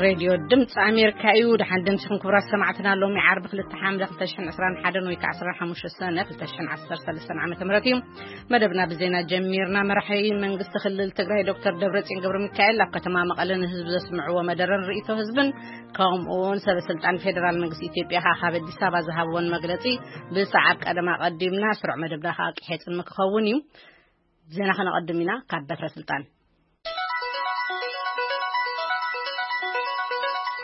ሬድዮ ድምፂ ኣሜሪካ እዩ። ደሓን ደምሲኹም ክቡራት ሰማዕትና። ሎሚ ዓርቢ ክልተ ሓምለ ክልተ ሽሕን ዕስራን ሓደን ወይ ከዓ ዓሰርተ ሓሙሽተ ሰነ ክልተ ሽሕን ዓሰርተ ሰለስተን ዓመተ ምህረት እዩ። መደብና ብዜና ጀሚርና። መራሒ መንግስቲ ክልል ትግራይ ዶክተር ደብረፅዮን ገብረ ሚካኤል ኣብ ከተማ መቐለ ንህዝቢ ዘስምዕዎ መደረን ርእይቶ ህዝብን ከምኡውን ሰበ ስልጣን ፌደራል መንግስቲ ኢትዮጵያ ከዓ ካብ ኣዲስ ኣበባ ዝሃብዎን መግለፂ ብሰዓብ ቀደም ኣቐዲምና። ስሩዕ መደብና ከዓ ቂሐ ፅልሚ ክኸውን እዩ። ዜና ከነቐድም ኢና። ካብ በትረ ስልጣን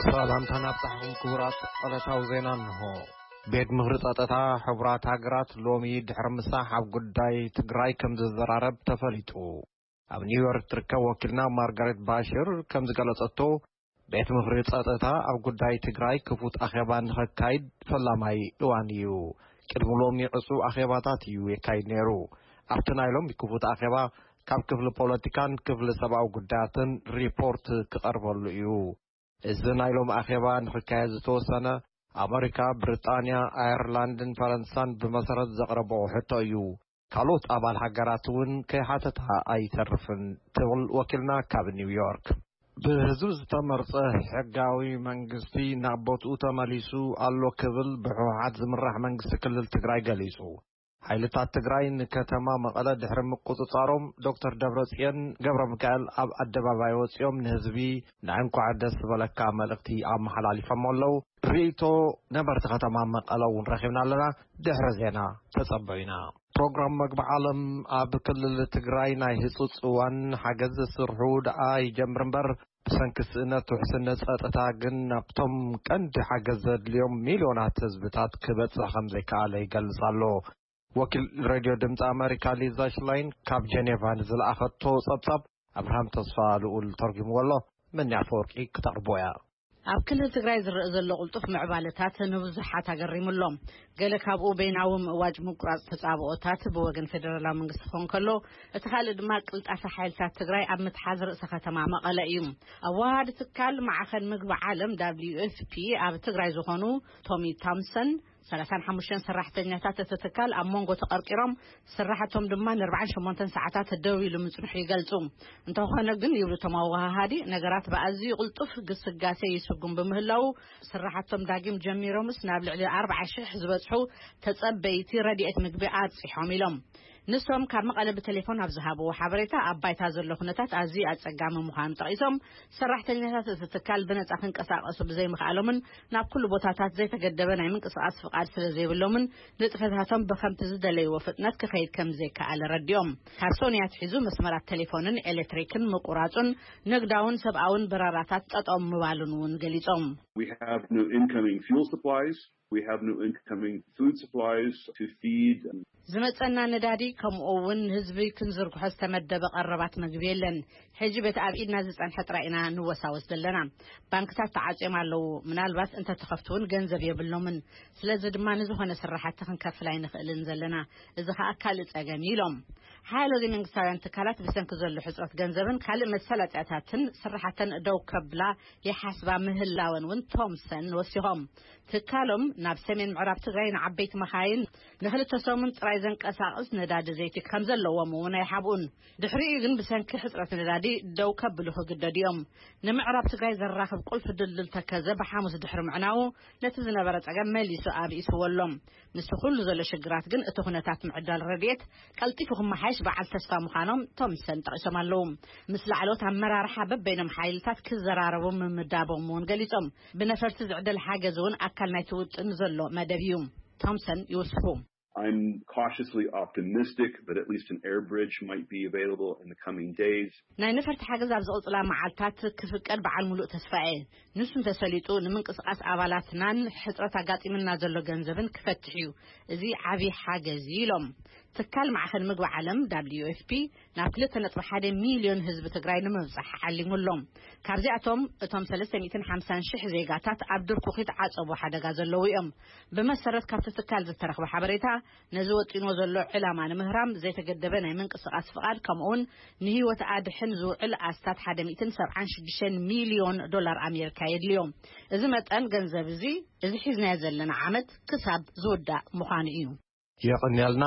ሰላምታ ናብጻሕኹም ክቡራት። ዕለታዊ ዜና እንሆ። ቤት ምኽሪ ጸጥታ ሕቡራት ሃገራት ሎሚ ድሕሪ ምሳሕ ኣብ ጉዳይ ትግራይ ከም ዝዘራረብ ተፈሊጡ። ኣብ ኒውዮርክ ትርከብ ወኪልና ማርጋሬት ባሽር ከም ዝገለጸቶ፣ ቤት ምኽሪ ጸጥታ ኣብ ጉዳይ ትግራይ ክፉት ኣኼባ ንኸካይድ ፈላማይ እዋን እዩ። ቅድሚ ሎሚ ዕጹው ኣኼባታት እዩ የካይድ ነይሩ። ኣብቲ ናይ ሎሚ ክፉት ኣኼባ ካብ ክፍሊ ፖለቲካን ክፍሊ ሰብኣዊ ጉዳያትን ሪፖርት ክቐርበሉ እዩ። እዚ ናይ ሎሚ ኣኼባ ንኽካየድ ዝተወሰነ ኣመሪካ፣ ብሪጣንያ፣ ኣየርላንድን ፈረንሳን ብመሰረት ዘቕረብኦ ሕቶ እዩ። ካልኦት ኣባል ሃገራት እውን ከይሓተታ ኣይተርፍን ትብል ወኪልና ካብ ኒውዮርክ። ብህዝቢ ዝተመርጸ ሕጋዊ መንግስቲ ናብ ቦትኡ ተመሊሱ ኣሎ ክብል ብህወሓት ዝምራሕ መንግስቲ ክልል ትግራይ ገሊጹ። ሓይልታት ትግራይ ንከተማ መቐለ ድሕሪ ምቁጽጻሮም፣ ዶክተር ደብረጽዮን ገብረ ሚካኤል ኣብ ኣደባባይ ወጺኦም ንህዝቢ ናይ እንኳዕ ደስ በለካ መልእኽቲ ኣመሓላሊፎም ኣለዉ። ርእይቶ ነበርቲ ከተማ መቐለ እውን ረኺብና ኣለና። ድሕሪ ዜና ተጸበዩና። ፕሮግራም መግቢ ዓለም ኣብ ክልል ትግራይ ናይ ህጹጽ እዋን ሓገዝ ዝስርሑ ደኣ ይጀምር እምበር፣ ብሰንኪ ስእነት ውሕስነት ጸጥታ ግን ናብቶም ቀንዲ ሓገዝ ዘድልዮም ሚልዮናት ህዝብታት ክበጽሕ ከም ዘይከኣለ ይገልጽ ኣሎ። ወኪል ሬድዮ ድምፂ ኣመሪካ ሊዛ ሽላይን ካብ ጀኔቫ ንዝለኣኸቶ ጸብጻብ ኣብርሃም ተስፋ ልኡል ተርጉምዎ ኣሎ። መኒ ኣፈወርቂ ክተቕርቦ እያ። ኣብ ክልል ትግራይ ዝረአ ዘሎ ቅልጡፍ ምዕባለታት ንብዙሓት ኣገሪሙ ኣሎ። ገለ ካብኡ በይናዊ ምእዋጅ ምቁራጽ ተጻብኦታት ብወገን ፌደራላዊ መንግስቲ ክኸውን ከሎ፣ እቲ ካልእ ድማ ቅልጣፈ ሓይልታት ትግራይ ኣብ ምትሓዝ ርእሰ ከተማ መቐለ እዩ። ኣዋሃዲ ትካል ማዕኸን ምግቢ ዓለም፣ ደብሊዩ ኤፍ ፒ፣ ኣብ ትግራይ ዝኾኑ ቶሚ ታምሰን፣ ሰላሳን ሓሙሽተን ሰራሕተኛታት እቲ ትካል ኣብ መንጎ ተቐርቂሮም፣ ስራሕቶም ድማ ንኣርባዓን ሸሞንተን ሰዓታት ደው ኢሉ ምጽንሑ ይገልጹ። እንተኾነ ግን፣ ይብሉ እቶም ኣወሃሃዲ፣ ነገራት ብኣዝዩ ቅልጡፍ ግስጋሴ ይስጉም ብምህላዉ፣ ስራሕቶም ዳግም ጀሚሮምስ ናብ ልዕሊ ኣርብዓ ሽሕ ዝበጽሑ ተጸበይቲ ረድኤት ምግቢ ኣብጺሖም ኢሎም። ንሶም ካብ መቐለ ብቴሌፎን ኣብ ዝሃብዎ ሓበሬታ፣ ኣብ ባይታ ዘሎ ኩነታት ኣዝዩ ኣጸጋሚ ምዃኑ ጠቒሶም፣ ሰራሕተኛታት እቲ ትካል ብነጻ ክንቀሳቐሱ ብዘይምኽኣሎምን ናብ ኩሉ ቦታታት ዘይተገደበ ናይ ምንቅስቓስ ፍቓድ ስለ ዘይብሎምን ንጥፈታቶም ብኸምቲ ዝደለይዎ ፍጥነት ክኸይድ ከም ዘይከኣለ ረዲኦም። ካብ ሶኒ ኣትሒዙ መስመራት ቴሌፎንን ኤሌክትሪክን ምቁራጹን ንግዳውን ሰብኣውን በረራታት ጠጠው ምባሉን እውን ገሊጾም። We have no incoming fuel supplies. We have no incoming food supplies to feed. ዝመጸና ነዳዲ ከምኡ እውን ንህዝቢ ክንዝርግሖ ዝተመደበ ቀረባት ምግቢ የለን። ሕጂ በቲ ኣብ ኢድና ዝጸንሐ ጥራይ ኢና ንወሳወስ ዘለና። ባንክታት ተዓጽዮም ኣለዉ። ምናልባት እንተተኸፍቱ እውን ገንዘብ የብሎምን። ስለዚ ድማ ንዝኾነ ስራሕቲ ክንከፍል ኣይንኽእልን ዘለና። እዚ ኸኣ ካልእ ጸገም እዩ ኢሎም። ሓያሎ ዘይመንግስታውያን ትካላት ብሰንኪ ዘሎ ሕጽረት ገንዘብን ካልእ መሳለጥያታትን ስራሕተን ደው ከብላ ይሓስባ ምህላወን እውን ቶምሰን ወሲኾም። ትካሎም ናብ ሰሜን ምዕራብ ትግራይ ንዓበይቲ መኻይን ንክልተ ሰሙን ጥራይ ዘንቀሳቕስ ነዳዲ ዘይቲ ከም ዘለዎም እውን ኣይሓብኡን። ድሕሪኡ ግን ብሰንኪ ሕጽረት ነዳዲ ደው ከብሉ ክግደዱ እዮም። ንምዕራብ ትግራይ ዘራኽብ ቁልፊ ድልድል ተከዘ ብሓሙስ ድሕሪ ምዕናዉ ነቲ ዝነበረ ጸገም መሊሱ ኣብኢስዎ ኣሎ። ምስቲ ኩሉ ዘሎ ሽግራት ግን እቲ ኩነታት ምዕዳል ረድኤት ቀልጢፉ ክመሓየሽ በዓል ተስፋ ምዃኖም ቶምሰን ጠቒሶም ኣለዉ። ምስ ላዕለዎት ኣመራርሓ በበይኖም ሓይልታት ክዘራረቡ ምምዳቦም እውን ገሊጾም። ብነፈርቲ ዝዕደል ሓገዝ እውን ኣካል ናይቲ ውጥን ዘሎ መደብ እዩ። ቶምሰን ይውስኹ። I'm cautiously optimistic that at least an air bridge might be available in the coming days. ናይ ነፈርቲ ሓገዝ ኣብ ዝቕጽላ መዓልታት ክፍቀድ በዓል ሙሉእ ተስፋ እየ። ንሱ እንተሰሊጡ ንምንቅስቓስ ኣባላትናን ሕጽረት ኣጋጢምና ዘሎ ገንዘብን ክፈትሕ እዩ። እዚ ዓቢ ሓገዝ እዩ ኢሎም። ትካል ማዕኸን ምግቢ ዓለም ደብሊዩ ኤፍ ፒ ናብ ክልተ ነጥቢ ሓደ ሚልዮን ህዝቢ ትግራይ ንምብጻሕ ዓሊሙ ኣሎ። ካብዚኣቶም እቶም ሰለስተ ሚእትን ሓምሳን ሽሕ ዜጋታት ኣብ ድርኩኺት ዓጸቦ ሓደጋ ዘለዉ እዮም። ብመሰረት ካብቲ ትካል ዝተረኽበ ሓበሬታ፣ ነዚ ወጢንዎ ዘሎ ዕላማ ንምህራም ዘይተገደበ ናይ ምንቅስቓስ ፍቓድ፣ ከምኡውን ንህይወት ኣድሕን ዝውዕል ኣስታት ሓደ ሚእትን ሰብዓን ሽዱሽተን ሚልዮን ዶላር ኣሜሪካ የድልዮ። እዚ መጠን ገንዘብ እዚ፣ እዚ ሒዝናዮ ዘለና ዓመት ክሳብ ዝውዳእ ምዃኑ እዩ። የቐንየልና።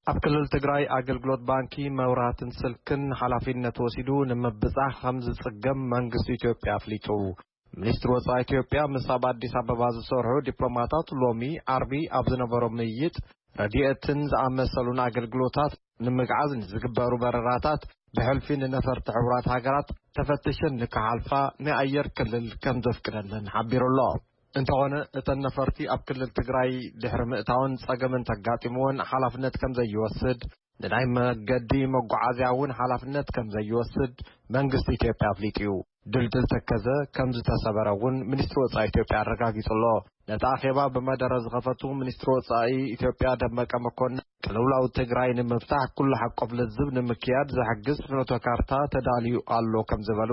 ኣብ ክልል ትግራይ ኣገልግሎት ባንኪ፣ መብራህትን ስልክን ሓላፊነት ወሲዱ ንምብጻሕ ከም ዝጽገም መንግስቲ ኢትዮጵያ ኣፍሊጡ። ሚኒስትሪ ወጻኢ ኢትዮጵያ ምስ ኣብ ኣዲስ ኣበባ ዝሰርሑ ዲፕሎማታት ሎሚ ዓርቢ ኣብ ዝነበሮ ምይይጥ፣ ረድኤትን ዝኣመሰሉን ኣገልግሎታት ንምግዓዝ ንዝግበሩ በረራታት ብሕልፊ ንነፈርቲ ሕቡራት ሃገራት ተፈትሸን ንክሓልፋ ናይ ኣየር ክልል ከም ዘፍቅደለን ሓቢሩ ኣሎ። እንተኾነ፣ እተን ነፈርቲ ኣብ ክልል ትግራይ ድሕሪ ምእታወን ጸገም እንተጋጢምወን ሓላፍነት ከም ዘይወስድ፣ ንናይ መገዲ መጓዓዝያ እውን ሓላፍነት ከም ዘይወስድ መንግስቲ ኢትዮጵያ ኣፍሊጡ እዩ። ድልድል ተከዘ ከም ዝተሰበረ እውን ሚኒስትሪ ወጻኢ ኢትዮጵያ ኣረጋጊጹ ኣሎ። ነቲ ኣኼባ ብመደረ ዝኸፈቱ ሚኒስትሪ ወጻኢ ኢትዮጵያ ደመቀ መኮንን፣ ቅልውላው ትግራይ ንምፍታሕ ኩሉ ሓቆፍ ልዝብ ንምክያድ ዝሕግዝ ፍኖተ ካርታ ተዳልዩ ኣሎ ከም ዝበሉ፣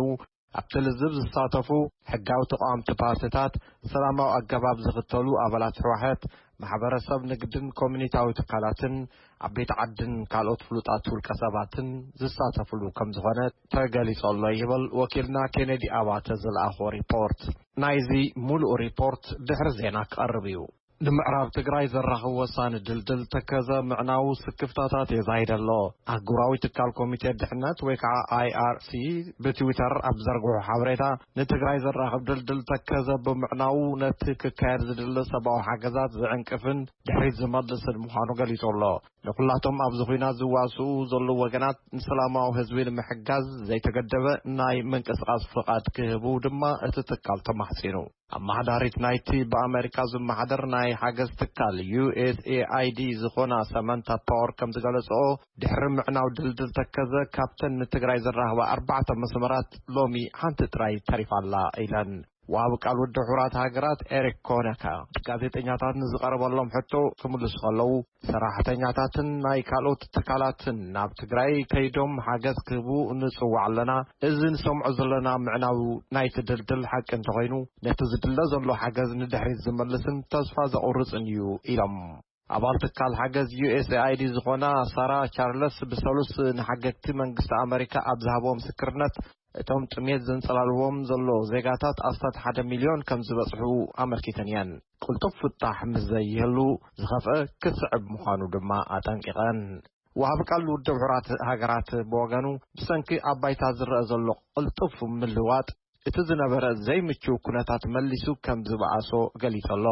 ኣብቲ ልዝብ ዝሳተፉ ሕጋዊ ተቃወምቲ ፓርቲታት፣ ሰላማዊ ኣገባብ ዝኽተሉ ኣባላት ህወሓት፣ ማሕበረሰብ ንግድን ኮሚኒታዊ ትካላትን፣ ዓበይቲ ዓድን ካልኦት ፍሉጣት ውልቀ ሰባትን ዝሳተፍሉ ከም ዝኾነ ተገሊጹ ኣሎ ይብል ወኪልና ኬኔዲ ኣባተ ዝለኣኾ ሪፖርት። ናይዚ ሙሉእ ሪፖርት ድሕሪ ዜና ክቐርብ እዩ። ንምዕራብ ትግራይ ዘራኽብ ወሳኒ ድልድል ተከዘ ምዕናዉ ስክፍታታት የዛይደ ኣሎ። ኣህጉራዊ ትካል ኮሚቴ ድሕነት ወይ ከዓ ኣይ ኣር ሲ ብትዊተር ኣብ ዘርግሑ ሓበሬታ፣ ንትግራይ ዘራኽብ ድልድል ተከዘ ብምዕናዉ ነቲ ክካየድ ዝድለ ሰብኣዊ ሓገዛት ዝዕንቅፍን ድሕሪት ዝመልስን ምዃኑ ገሊጹ ኣሎ። ንኩላቶም ኣብዚ ኹናት ዝዋስኡ ዘለዉ ወገናት ንሰላማዊ ህዝቢ ንምሕጋዝ ዘይተገደበ ናይ ምንቅስቃስ ፍቓድ ክህቡ ድማ እቲ ትካል ተማሕጺኑ። ኣመሓዳሪት ናይቲ ብኣመሪካ ዝመሓደር ናይ ሓገዝ ትካል ዩ ኤስ ኤ ኣይ ዲ ዝኾና ሰመንታ ፓወር ከም ዝገለጽኦ፣ ድሕሪ ምዕናው ድልድል ተከዘ ካብተን ንትግራይ ዘራኽባ ኣርባዕተ መስመራት ሎሚ ሓንቲ ጥራይ ተሪፋ ኣላ ኢለን። ወሃቢ ቃል ውድብ ሕቡራት ሃገራት ኤሪክ ኮነካ ጋዜጠኛታት ንዝቐረበሎም ሕቶ ክምልሱ ከለዉ፣ ሰራሕተኛታትን ናይ ካልኦት ትካላትን ናብ ትግራይ ከይዶም ሓገዝ ክህቡ ንጽዋዕ ኣለና። እዚ ንሰምዖ ዘለና ምዕናው ናይቲ ድልድል ሓቂ እንተኾይኑ፣ ነቲ ዝድለ ዘሎ ሓገዝ ንድሕሪት ዝመልስን ተስፋ ዘቑርጽን እዩ ኢሎም። ኣባል ትካል ሓገዝ ዩ ኤስ ኤ ኣይ ዲ ዝኾና ሳራ ቻርለስ ብሰሉስ ንሓገግቲ መንግስቲ ኣመሪካ ኣብ ዝሃብዎ ምስክርነት፣ እቶም ጥሜት ዘንጸላልዎም ዘሎ ዜጋታት ኣስታት ሓደ ሚልዮን ከም ዝበጽሑ ኣመልኪተን እየን። ቅልጡፍ ፍታሕ ምስ ዘይህሉ፣ ዝኸፍአ ክስዕብ ምዃኑ ድማ ኣጠንቂቐን። ወሃቢ ቃል ውድብ ሕቡራት ሃገራት ብወገኑ፣ ብሰንኪ ኣብ ባይታ ዝረአ ዘሎ ቅልጡፍ ምልዋጥ፣ እቲ ዝነበረ ዘይምቹው ኩነታት መሊሱ ከም ዝበኣሶ ገሊጹ ኣሎ።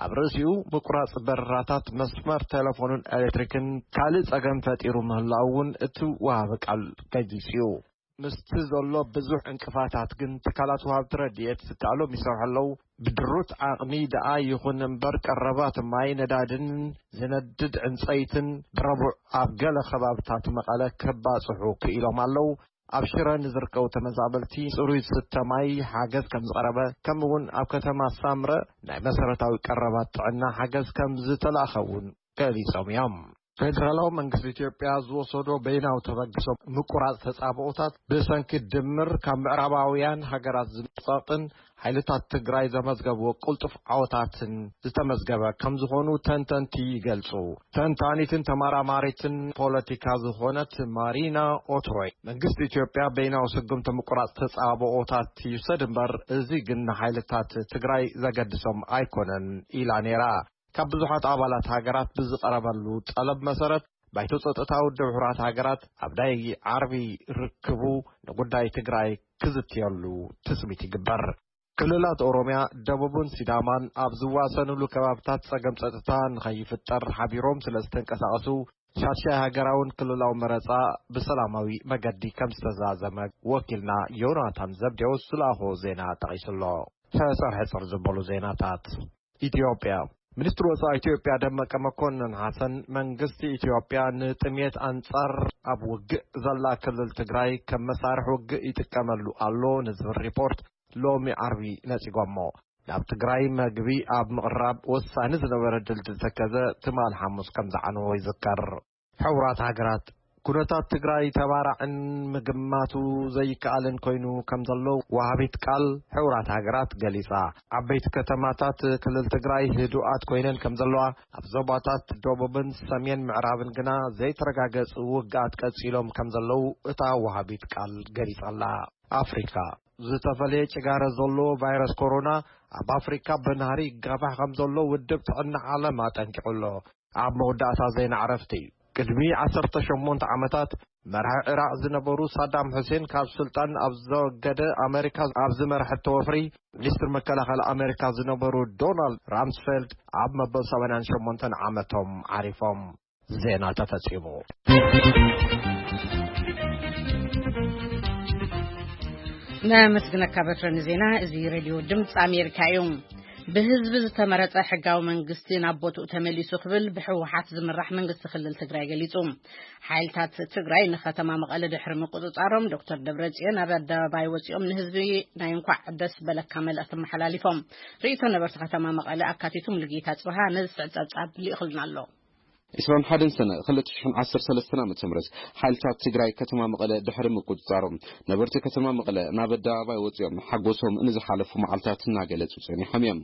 ኣብ ርእሲኡ፣ ምቁራጽ በረራታት መስመር ቴሌፎንን ኤሌክትሪክን ካልእ ጸገም ፈጢሩ ምህላዉ እውን እቲ ወሃቢ ቃል ገሊጹ እዩ። ምስቲ ዘሎ ብዙሕ ዕንቅፋታት ግን፣ ትካላት ወሃብቲ ረድኤት ዝከኣሎም ይሰርሑ ኣለዉ። ብድሩት ዓቕሚ ደኣ ይኹን እምበር፣ ቀረባት ማይ፣ ነዳድን ዝነድድ ዕንጸይትን ብረቡዕ ኣብ ገለ ከባብታት መቐለ ከባጽሑ ክኢሎም ኣለዉ። ኣብ ሽረ ንዝርከቡ ተመዛበልቲ ጽሩይ ዝስተ ማይ ሓገዝ ከም ዝቐረበ፣ ከምኡ እውን ኣብ ከተማ ሳምረ ናይ መሰረታዊ ቀረባት ጥዕና ሓገዝ ከም ዝተላእኸ እውን ገሊጾም እዮም። ፌደራላዊ መንግስቲ ኢትዮጵያ ዝወሰዶ በይናዊ ተበግሶ ምቁራጽ ተጻብኦታት፣ ብሰንኪ ድምር ካብ ምዕራባውያን ሃገራት ዝመጻቕን ሓይልታት ትግራይ ዘመዝገብዎ ቅልጡፍ ዓወታትን ዝተመዝገበ ከም ዝኾኑ ተንተንቲ ይገልጹ። ተንታኒትን ተመራማሪትን ፖለቲካ ዝኾነት ማሪና ኦትሮይ፣ መንግስቲ ኢትዮጵያ በይናዊ ስጉምቲ ምቁራጽ ተጻብኦታት ይውሰድ እምበር፣ እዚ ግን ንሓይልታት ትግራይ ዘገድሶም ኣይኮነን ኢላ ነይራ። ካብ ብዙሓት ኣባላት ሃገራት ብዝቐረበሉ ጠለብ መሰረት፣ ባይቶ ጸጥታ ውድብ ሕቡራት ሃገራት ኣብ ናይ ዓርቢ ርክቡ ንጉዳይ ትግራይ ክዝትየሉ ትጽቢት ይግበር። ክልላት ኦሮምያ፣ ደቡብን ሲዳማን ኣብ ዝዋሰንሉ ከባብታት ጸገም ጸጥታ ንኸይፍጠር ሓቢሮም ስለ ዝተንቀሳቐሱ፣ ሻድሻይ ሃገራውን ክልላዊ መረጻ ብሰላማዊ መገዲ ከም ዝተዛዘመ ወኪልና ዮናታን ዘብዴዎስ ዝለኣኾ ዜና ጠቒሱ ኣሎ። ሕጽር ሕጽር ዝበሉ ዜናታት። ኢትዮጵያ። ሚኒስትሪ ወጻኢ ኢትዮጵያ ደመቀ መኮንን ሓሰን፣ መንግስቲ ኢትዮጵያ ንጥሜት ኣንጻር ኣብ ውግእ ዘላ ክልል ትግራይ ከም መሳርሒ ውግእ ይጥቀመሉ ኣሎ ንዝብል ሪፖርት ሎሚ ዓርቢ ነጺጎሞ። ናብ ትግራይ መግቢ ኣብ ምቕራብ ወሳኒ ዝነበረ ድልድል ተከዘ ትማል ሓሙስ ከም ዝዓነዎ ይዝከር። ሕቡራት ሃገራት፣ ኩነታት ትግራይ ተባራዕን ምግማቱ ዘይከኣልን ኮይኑ ከም ዘሎ ወሃቢት ቃል ሕቡራት ሃገራት ገሊጻ። ዓበይቲ ከተማታት ክልል ትግራይ ህዱኣት ኮይነን ከም ዘለዋ፣ ኣብ ዞባታት ደቡብን ሰሜን ምዕራብን ግና ዘይተረጋገጹ ውግኣት ቀጺሎም ከም ዘለዉ እታ ወሃቢት ቃል ገሊጻ ኣላ። ኣፍሪካ። ዝተፈለየ ጭጋረ ዘለዎ ቫይረስ ኮሮና ኣብ ኣፍሪካ ብናህሪ ይጋፋሕ ከም ዘሎ ውድብ ጥዕና ዓለም ኣጠንቂቑ ኣሎ። ኣብ መወዳእታ ዜና ዕረፍቲ። ቅድሚ ዓሰርተ ሸሞንተ ዓመታት መራሒ ኢራቕ ዝነበሩ ሳዳም ሑሴን ካብ ስልጣን ኣብ ዘወገደ፣ ኣመሪካ ኣብ ዝመርሐቶ ወፍሪ፣ ሚኒስትር መከላኸሊ ኣመሪካ ዝነበሩ ዶናልድ ራምስፌልድ ኣብ መበል ሰማንያን ሸሞንተን ዓመቶም ዓሪፎም። ዜና ተፈጺሙ። ነመስግነካ በትረ ንዜና። እዚ ሬድዮ ድምፂ ኣሜሪካ እዩ። ብህዝቢ ዝተመረጸ ሕጋዊ መንግስቲ ናብ ቦትኡ ተመሊሱ ክብል ብህወሓት ዝምራሕ መንግስቲ ክልል ትግራይ ገሊጹ። ሓይልታት ትግራይ ንከተማ መቐለ ድሕሪ ምቁጽጻሮም፣ ዶክተር ደብረጽዮን ኣብ ኣደባባይ ወጺኦም ንህዝቢ ናይ እንኳዕ ደስ በለካ መልእኽቲ ኣመሓላሊፎም። ርእይቶ ነበርቲ ከተማ መቐለ ኣካቲቱ ሙሉጌታ ጽብሃ ነዚ ጸብጻብ ልኢኹልና ኣሎ። ዕስራን ሓደን ሰነ ክልተ ሽሕን ዓሰርተ ሰለስተን ዓመተ ምህረት ሓይልታት ትግራይ ከተማ መቐለ ድሕሪ ምቁጽጻሮም፣ ነበርቲ ከተማ መቐለ ናብ ኣደባባይ ወጺኦም ሓጎሶም ንዝሓለፉ መዓልታት እናገለጹ ጸኒሖም እዮም።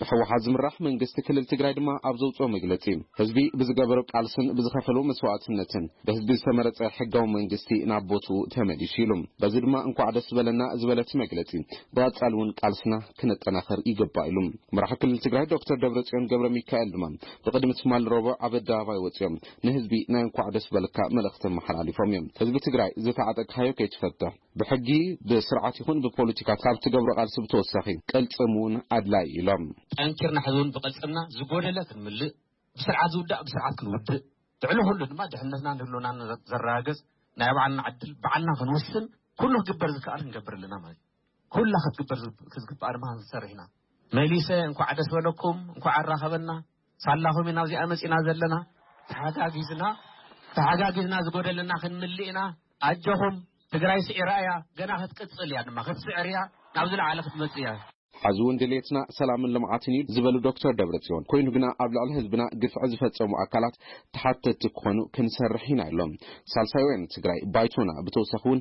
ብህወሓት ዝምራሕ መንግስቲ ክልል ትግራይ ድማ ኣብ ዘውጽኦ መግለጺ፣ ህዝቢ ብዝገበሮ ቃልስን ብዝኸፈሎ መስዋእትነትን ብህዝቢ ዝተመረጸ ሕጋዊ መንግስቲ ናብ ቦትኡ ተመሊሱ ኢሉ። በዚ ድማ እንኳዕ ደስ በለና ዝበለ እቲ መግለጺ፣ ብቐጻሊ እውን ቃልስና ክነጠናኽር ይግባእ ኢሉ። መራሒ ክልል ትግራይ ዶክተር ደብረጽዮን ገብረ ሚካኤል ድማ ብቕድሚ ትማሊ ረቡዕ ኣብ ኣደባባይ ወጺኦም ንህዝቢ ናይ እንኳዕ ደስ በለካ መልእኽቲ ኣመሓላሊፎም እዮም። ህዝቢ ትግራይ ዝተዓጠቅካዮ ከይትፈትሕ፣ ብሕጊ፣ ብስርዓት ይኹን ብፖለቲካ ካብ ትገብሮ ቃልሲ ብተወሳኺ ቅልጽም እውን ኣድላይ ኢሎም። ጠንኪርና ሕዚ እውን ብቅልጽምና ዝጎደለ ክንምልእ፣ ብስርዓት ዝውዳእ ብስርዓት ክንውድእ፣ ልዕሊ ኩሉ ድማ ድሕነትናን ህልውናን ዘረጋግጽ ናይ ባዕልና ዕድል ባዕልና ክንውስን ኩሉ ክግበር ዝከኣል ክንገብር ኣለና ማለት እዩ። ኩላ ክትግበር ዝግ-፣ ክትግባእ ድማ ክንሰርሕ ኢና። መሊሰ እንኳዕ ደስ በለኩም፣ እንኳዕ ኣራኸበና፣ ሳላኹም ኢና ኣብዚኣ መጺና ዘለና። ተሓጋጊዝና፣ ተሓጋጊዝና ዝጎደለና ክንምልእ ኢና። ኣጆኹም፣ ትግራይ ስዒራ እያ፣ ገና ክትቅጽል እያ ድማ፣ ክትስዕር እያ፣ ናብ ዝለዓለ ክትመጽእ እያ። ሐዚ እውን ድሌትና ሰላምን ልምዓትን እዩ ዝበሉ ዶክተር ደብረጽዮን፣ ኮይኑ ግና ኣብ ልዕሊ ህዝብና ግፍዒ ዝፈጸሙ ኣካላት ተሓተትቲ ክኾኑ ክንሰርሕ ኢና ኢሎም። ሳልሳይ ወያነ ትግራይ ባይቶና ብተወሳኺ እውን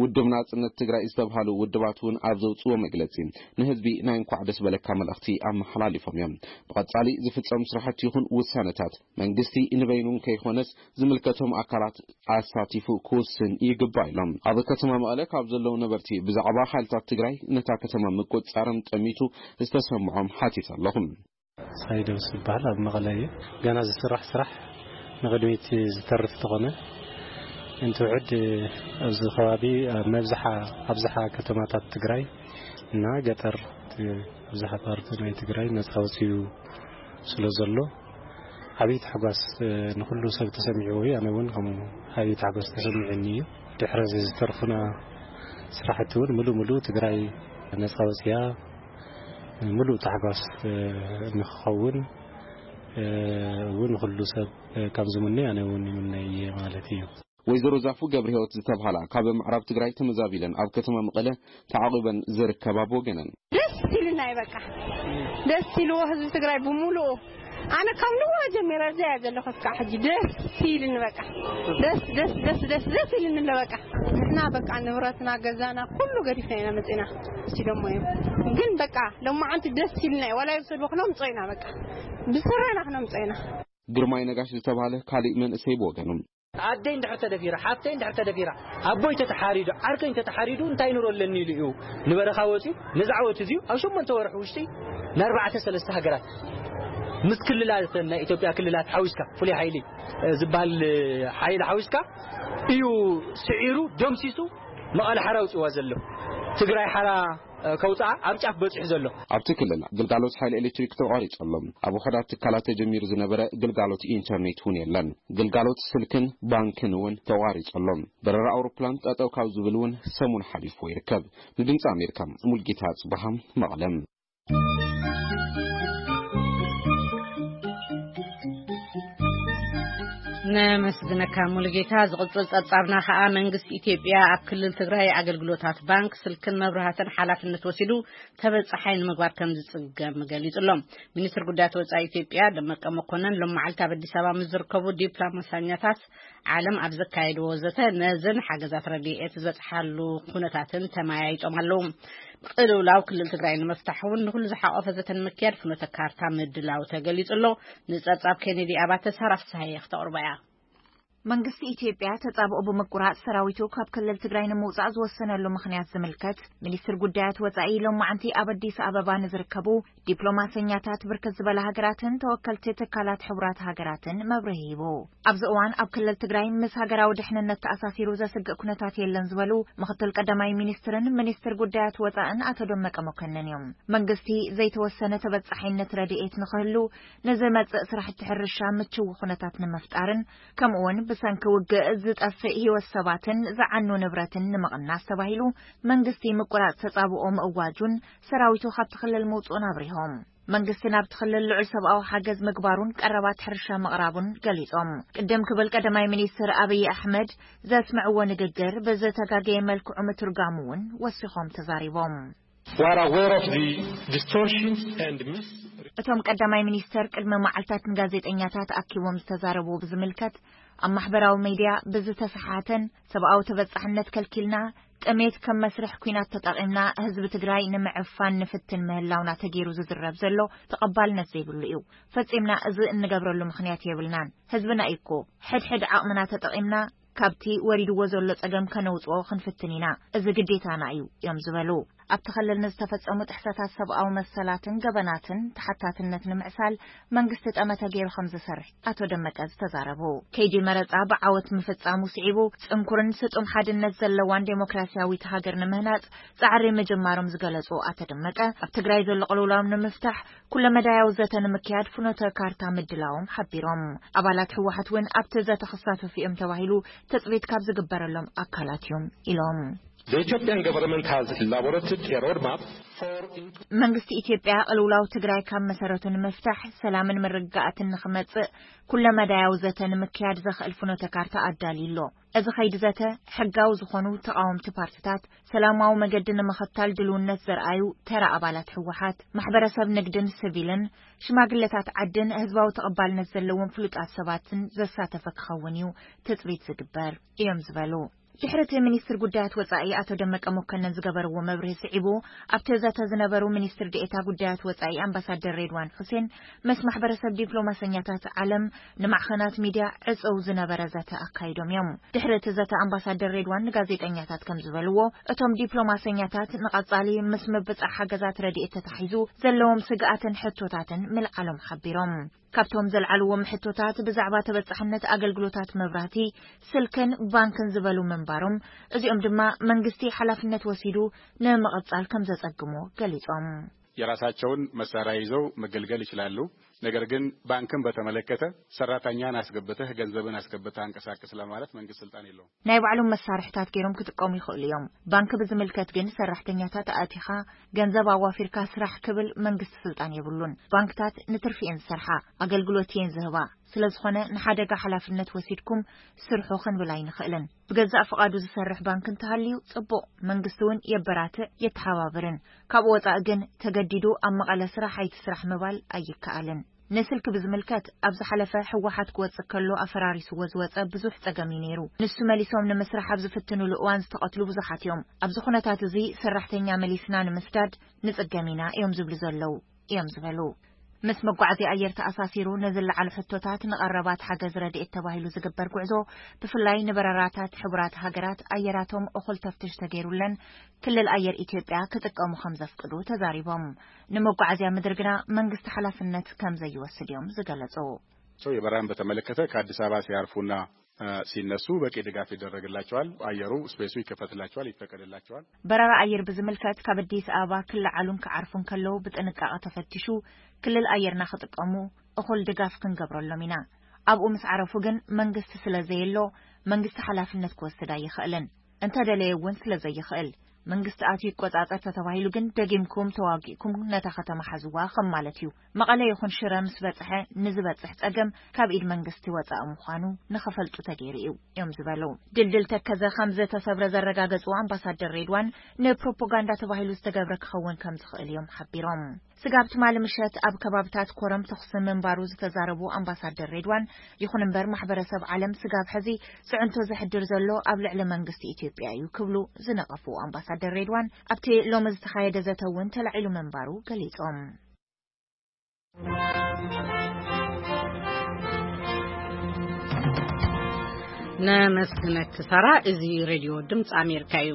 ውድብ ናጽነት ትግራይ ዝተብሃሉ ውድባት እውን ኣብ ዘውፅዎ መግለፂ ንህዝቢ ናይ እንኳዕ ደስ በለካ መልእኽቲ ኣመሓላሊፎም እዮም። ብቐፃሊ ዝፍጸሙ ስራሕቲ ይኹን ውሳነታት መንግስቲ ንበይኑ ከይኾነስ ዝምልከቶም ኣካላት ኣሳቲፉ ክውስን ይግባእ ኢሎም። ኣብ ከተማ መቐለ ካብ ዘለዉ ነበርቲ ብዛዕባ ሓይልታት ትግራይ ነታ ከተማ ምቁፅፃርም ጠሚቱ ዝተሰምዖም ሓቲት ኣለኹም። ሳይደውስ ዝበሃል ኣብ መቐለ እዩ። ገና ዝስራሕ ስራሕ ንቕድሚት ዝተርፍ እንተኾነ እንትውዕድ ኣብዚ ከባቢ ኣብ መብዝሓ ኣብዝሓ ከተማታት ትግራይ እና ገጠር እቲ ኣብዝሓ ፓርት ናይ ትግራይ ነፃ ወፂኡ ስለ ዘሎ ዓብዪ ታሕጓስ ንኩሉ ሰብ ተሰሚዕዎ እዩ። ኣነ እውን ከምኡ ዓብዪ ታሕጓስ ተሰሚዑኒ እዩ። ድሕሪ እዚ ዝተርፉና ስራሕቲ እውን ምሉእ ምሉእ ትግራይ ነፃ ወፂኣ ምሉእ ታሕጓስ ንክኸውን እውን ኩሉ ሰብ ከም ዝምነ ኣነ እውን ይምነ እየ ማለት እዩ። ወይዘሮ ዛፉ ገብረ ህይወት ዝተብሃላ ካብ ምዕራብ ትግራይ ተመዛቢለን ኣብ ከተማ መቐለ ተዓቑበን ዝርከባ ብወገነን፣ ደስ ኢልና እዩ በቃ። ደስ ኢልዎ ህዝቢ ትግራይ ብምሉኡ። ኣነ ካብ ንዋ ጀሚረ እዚኣ እያ ዘለኹ እስካዕ ሕጂ። ደስ ኢልኒ በቃ። ደስ፣ ደስ፣ ደስ፣ ደስ፣ ደስ ኢልኒ ኣሎ በቃ። ንሕና በቃ ንብረትና፣ ገዛና፣ ኩሉ ገዲፍና ኢና መፂና። ሲዶሞ እዮም። ግን በቃ ሎማዓንቲ ደስ ኢልና እዩ። ዋላ ይውሰድዎ ክነምፅኦ ኢና በቃ። ብስረና ክነምፅኦ ኢና። ግርማይ ነጋሽ ዝተባህለ ካሊእ መንእሰይ ብወገኑ፣ ኣደይ እንድሕር ተደፊራ፣ ሓፍተይ እንድሕር ተደፊራ፣ ኣቦይ ተተሓሪዱ፣ ዓርከይ እንተተሓሪዱ እንታይ ኑሮ ኣለኒ ኢሉ እዩ ንበረኻ ወፂኡ። ነዚ ዓወት እዚዩ ኣብ ሸሞንተ ወርሒ ውሽጢ ንኣርባዕተ ሰለስተ ሃገራት ምስ ክልላት ናይ ኢትዮጵያ ክልላት ሓዊስካ፣ ፍሉይ ሓይሊ፣ እ፣ ዝበሃል፣ እ፣ ሓይሊ ሓዊስካ እዩ ስዒሩ፣ ደምሲሱ መቐለ ሓራ ኣውፂዋ ዘሎ። ትግራይ ሓራ ከውፅኣ ኣብ ጫፍ በፂሑ ዘሎ። ኣብቲ ክልል ግልጋሎት ሓይሊ ኤሌክትሪክ ተቋሪጹ ኣሎ። ኣብ ውሑዳት ትካላት ተጀሚሩ ዝነበረ ግልጋሎት ኢንተርኔት እውን የለን። ግልጋሎት ስልክን ባንክን እውን ተቋሪጹ ኣሎ። በረራ ኣውሮፕላን ጠጠው ካብ ዝብል እውን ሰሙን ሓሊፍዎ ይርከብ። ንድምፂ ኣሜሪካ ሙልጌታ ጽባሃ መቐለም። ነመስግነካ ሙሉጌታ። ዝቕጽል ጸብጻብና ከኣ መንግስቲ ኢትዮጵያ ኣብ ክልል ትግራይ ኣገልግሎታት ባንክ፣ ስልክን መብራህትን ሓላፍነት ወሲዱ ተበጻሓይ ንምግባር ከም ዝጽገም ገሊጹ ኣሎ። ሚኒስትር ጉዳያት ወጻኢ ኢትዮጵያ ደመቀ መኮነን ሎም መዓልቲ ኣብ ኣዲስ ኣበባ ምስ ዝርከቡ ዲፕሎማሰኛታት ዓለም ኣብ ዘካየድዎ ዘተ ነዘን ሓገዛት ረድኤት ዝበጽሓሉ ኩነታትን ተመያይጦም ኣለዉ። ቅልውላው ክልል ትግራይ ንምፍታሕ እውን ንኹሉ ዝሓቆፈ ዘተ ንምክያድ ፍኖተ ካርታ ምድላው ተገሊጹ ኣሎ። ንጸብጻብ ኬኔዲ ኣባተ ሳራ ፍስሃየ ክተቕርቦ እያ። መንግስቲ ኢትዮጵያ ተጻብኦ ብምቁራጽ ሰራዊቱ ካብ ክልል ትግራይ ንምውጻእ ዝወሰነሉ ምኽንያት ዝምልከት፣ ሚኒስትር ጉዳያት ወጻኢ ሎማዓንቲ ኣብ ኣዲስ ኣበባ ንዝርከቡ ዲፕሎማሰኛታት ብርክት ዝበላ ሃገራትን ተወከልቲ ትካላት ሕቡራት ሃገራትን መብርሂ ሂቡ። ኣብዚ እዋን ኣብ ክልል ትግራይ ምስ ሃገራዊ ድሕንነት ተኣሳሲሩ ዘስግእ ኩነታት የለን ዝበሉ ምኽትል ቀዳማይ ሚኒስትርን ሚኒስትር ጉዳያት ወጻእን ኣቶ ደመቀ መኮንን እዮም። መንግስቲ ዘይተወሰነ ተበጻሒነት ረድኤት ንኽህሉ፣ ንዝመጽእ ስራሕቲ ሕርሻ ምችው ኩነታት ንምፍጣርን ከምኡውን ብሰንኪ ውግእ ዝጠፍእ ህይወት ሰባትን ዝዓኑ ንብረትን ንምቕናስ ተባሂሉ መንግስቲ ምቁራጽ ተጻብኦ ምእዋጁን ሰራዊቱ ካብቲ ክልል ምውጽኡን ኣብሪሆም። መንግስቲ ናብቲ ክልል ልዑል ሰብኣዊ ሓገዝ ምግባሩን ቀረባት ሕርሻ ምቕራቡን ገሊጾም። ቅድም ክብል ቀዳማይ ሚኒስትር ኣብይ ኣሕመድ ዘስምዕዎ ንግግር ብዝተጋገየ መልክዑ ምትርጋሙ እውን ወሲኾም ተዛሪቦም። We are aware of the distortions and mis- እቶም ቀዳማይ ሚኒስተር ቅድሚ መዓልታት ንጋዜጠኛታት ኣኪቦም ዝተዛረቡ ብዝምልከት፣ ኣብ ማሕበራዊ ሚድያ ብዝተሰሓተን ሰብኣዊ ተበጻሕነት ከልኪልና፣ ጥሜት ከም መስርሕ ኲናት ተጠቒምና ህዝቢ ትግራይ ንምዕፋን ንፍትን ምህላውና ተገይሩ ዝዝረብ ዘሎ ተቐባልነት ዘይብሉ እዩ። ፈጺምና እዚ እንገብረሉ ምኽንያት የብልናን። ህዝብና እዩ እኮ። ሕድሕድ ዓቕምና ተጠቒምና ካብቲ ወሪድዎ ዘሎ ጸገም ከነውጽኦ ክንፍትን ኢና። እዚ ግዴታና እዩ እዮም ዝበሉ። ኣብቲ ክልል ንዝተፈጸሙ ጥሕሰታት ሰብኣዊ መሰላትን ገበናትን ተሓታትነት ንምዕሳል መንግስቲ ጠመተ ገይሩ ከም ዝሰርሕ ኣቶ ደመቀ ዝተዛረቡ። ከይዲ መረጻ ብዓወት ምፍጻሙ ስዒቡ ጽንኩርን ስጡም ሓድነት ዘለዋን ዴሞክራሲያዊት ሃገር ንምህናጽ ጻዕሪ ምጅማሮም ዝገለጹ ኣቶ ደመቀ፣ ኣብ ትግራይ ዘሎ ቅልውላው ንምፍታሕ ኩለመዳያዊ ዘተ ንምክያድ ፍኖተ ካርታ ምድላዎም ሓቢሮም። ኣባላት ህወሓት እውን ኣብቲ ዘተ ክሳተፉ እዮም ተባሂሉ ትጽቢት ካብ ዝግበረሎም ኣካላት እዮም ኢሎም። The Ethiopian government has elaborated a roadmap for መንግስቲ ኢትዮጵያ ቅልውላው ትግራይ ካብ መሰረቱ ንምፍታሕ ሰላምን ምርግጋኣትን ንኽመጽእ ኩለመዳያዊ ዘተ ንምክያድ ዘኽእል ፍኖተ ካርታ ኣዳልዩ ኣሎ። እዚ ኸይዲ ዘተ ሕጋዊ ዝኾኑ ተቓወምቲ ፓርትታት፣ ሰላማዊ መገዲ ንምኽታል ድልውነት ዘርኣዩ ተራ ኣባላት ህወሓት፣ ማሕበረሰብ ንግድን ስቪልን፣ ሽማግለታት ዓድን ህዝባዊ ተቐባልነት ዘለዎም ፍሉጣት ሰባትን ዘሳተፈ ክኸውን እዩ ትጽቢት ዝግበር እዮም ዝበሉ። ድሕሪ እቲ ሚኒስትር ጉዳያት ወጻኢ ኣቶ ደመቀ መኮነን ዝገበርዎ መብርሂ ስዒቡ፣ ኣብቲ ዘተ ዝነበሩ ሚኒስትር ዴኤታ ጉዳያት ወጻኢ ኣምባሳደር ሬድዋን ሑሴን ምስ ማሕበረሰብ ዲፕሎማሰኛታት ዓለም ንማዕኸናት ሚድያ ዕጽው ዝነበረ ዘተ ኣካይዶም እዮም። ድሕሪ እቲ ዘተ ኣምባሳደር ሬድዋን ንጋዜጠኛታት ከም ዝበልዎ፣ እቶም ዲፕሎማሰኛታት ንቐጻሊ ምስ ምብጻሕ ሓገዛት ረድኤት ተታሒዙ ዘለዎም ስግኣትን ሕቶታትን ምልዓሎም ሓቢሮም። ካብቶም ዘልዓልዎም ሕቶታት ብዛዕባ ተበጻሕነት ኣገልግሎታት መብራህቲ፣ ስልክን ባንክን ዝበሉ ምንባሮም፣ እዚኦም ድማ መንግስቲ ሓላፍነት ወሲዱ ንምቕጻል ከም ዘጸግሞ ገሊጾም። የራሳቸውን መሳሪያ ይዘው መገልገል ይችላሉ። ነገር ግን ባንክን በተመለከተ ሰራተኛን አስገብተህ ገንዘብን አስገብተህ አንቀሳቅስ ለማለት መንግስት ስልጣን የለውም። ናይ ባዕሎም መሳርሕታት ገይሮም ክጥቀሙ ይኽእሉ እዮም። ባንክ ብዝምልከት ግን ሰራሕተኛታት ኣእቲኻ ገንዘብ ኣዋፊርካ ስራሕ ክብል መንግስቲ ስልጣን የብሉን። ባንክታት ንትርፊ እየን ዝሰርሓ፣ ኣገልግሎት እየን ዝህባ። ስለ ዝኾነ ንሓደጋ ሓላፍነት ወሲድኩም ስርሑ ክንብል ኣይንኽእልን። ብገዛእ ፍቓዱ ዝሰርሕ ባንክ እንተሃልዩ ጽቡቕ፣ መንግስቲ እውን የበራትዕ የተሓባብርን። ካብኡ ወጻኢ ግን ተገዲዱ ኣብ መቐለ ስራሕ ኣይትስራሕ ምባል ኣይከኣልን። ንስልኪ ብዝምልከት ኣብ ዝሓለፈ ህወሓት ክወጽእ ከሎ ኣፈራሪስዎ ዝወጸ ብዙሕ ጸገም እዩ ነይሩ። ንሱ መሊሶም ንምስራሕ ኣብ ዝፍትኑሉ እዋን ዝተቐትሉ ብዙሓት እዮም። ኣብዚ ኩነታት እዚ ሰራሕተኛ መሊስና ንምስዳድ ንጽገም ኢና እዮም ዝብሉ ዘለዉ እዮም ዝበሉ። ምስ መጓዓዝያ ኣየር ተኣሳሲሩ ንዝለዓሉ ሕቶታት ንቐረባት ሓገዝ ረድኤት ተባሂሉ ዝግበር ጉዕዞ ብፍላይ ንበረራታት ሕቡራት ሃገራት ኣየራቶም እኹል ተፍትሽ ተገይሩለን ክልል ኣየር ኢትዮጵያ ክጥቀሙ ከም ዘፍቅዱ ተዛሪቦም። ንመጓዓዝያ ምድሪ ግና መንግስቲ ሓላፍነት ከም ዘይወስድ እዮም ዝገለጹ። የበረራን በተመለከተ ከአዲስ አበባ ሲያርፉና ሲነሱ በቂ ድጋፍ ይደረግላቸዋል። አየሩ ስፔሱ ይከፈትላቸዋል፣ ይፈቀድላቸዋል። በረራ ኣየር ብዝምልከት ካብ ኣዲስ ኣበባ ክለዓሉን ክዓርፉን ከለዉ ብጥንቃቐ ተፈቲሹ ክልል ኣየርና ክጥቀሙ እኹል ድጋፍ ክንገብረሎም ኢና። ኣብኡ ምስ ዓረፉ ግን መንግስቲ ስለ ዘየሎ መንግስቲ ሓላፍነት ክወስድ ኣይኽእልን። እንተደለየ እውን ስለ ዘይኽእል መንግስቲ ኣትዩ ይቆጻጸር ተተባሂሉ ግን ደጊምኩም ተዋጊእኩም ነታ ከተማ ሓዝዋ ከም ማለት እዩ። መቐለ ይኹን ሽረ ምስ በጽሐ ንዝበጽሕ ጸገም ካብ ኢድ መንግስቲ ወጻኢ ምዃኑ ንኽፈልጡ ተገይሩ እዩ እዮም ዝበሉ። ድልድል ተከዘ ከም ዝተሰብረ ዘረጋገጹ ኣምባሳደር ሬድዋን ንፕሮፓጋንዳ ተባሂሉ ዝተገብረ ክኸውን ከም ዝኽእል እዮም ሓቢሮም። ስጋብ ትማሊ ምሸት ኣብ ከባብታት ኮረም ተኹሲ ምንባሩ ዝተዛረቡ ኣምባሳደር ሬድዋን፣ ይኹን እምበር ማሕበረሰብ ዓለም ስጋብ ሕዚ ጽዕንቶ ዘሕድር ዘሎ ኣብ ልዕሊ መንግስቲ ኢትዮጵያ እዩ ክብሉ ዝነቐፉ ኣምባሳደር ሬድዋን፣ ኣብቲ ሎሚ ዝተኻየደ ዘተ እውን ተላዒሉ ምንባሩ ገሊጾም። ነመስግነኪ ሳራ። እዚ ሬድዮ ድምፂ ኣሜሪካ እዩ።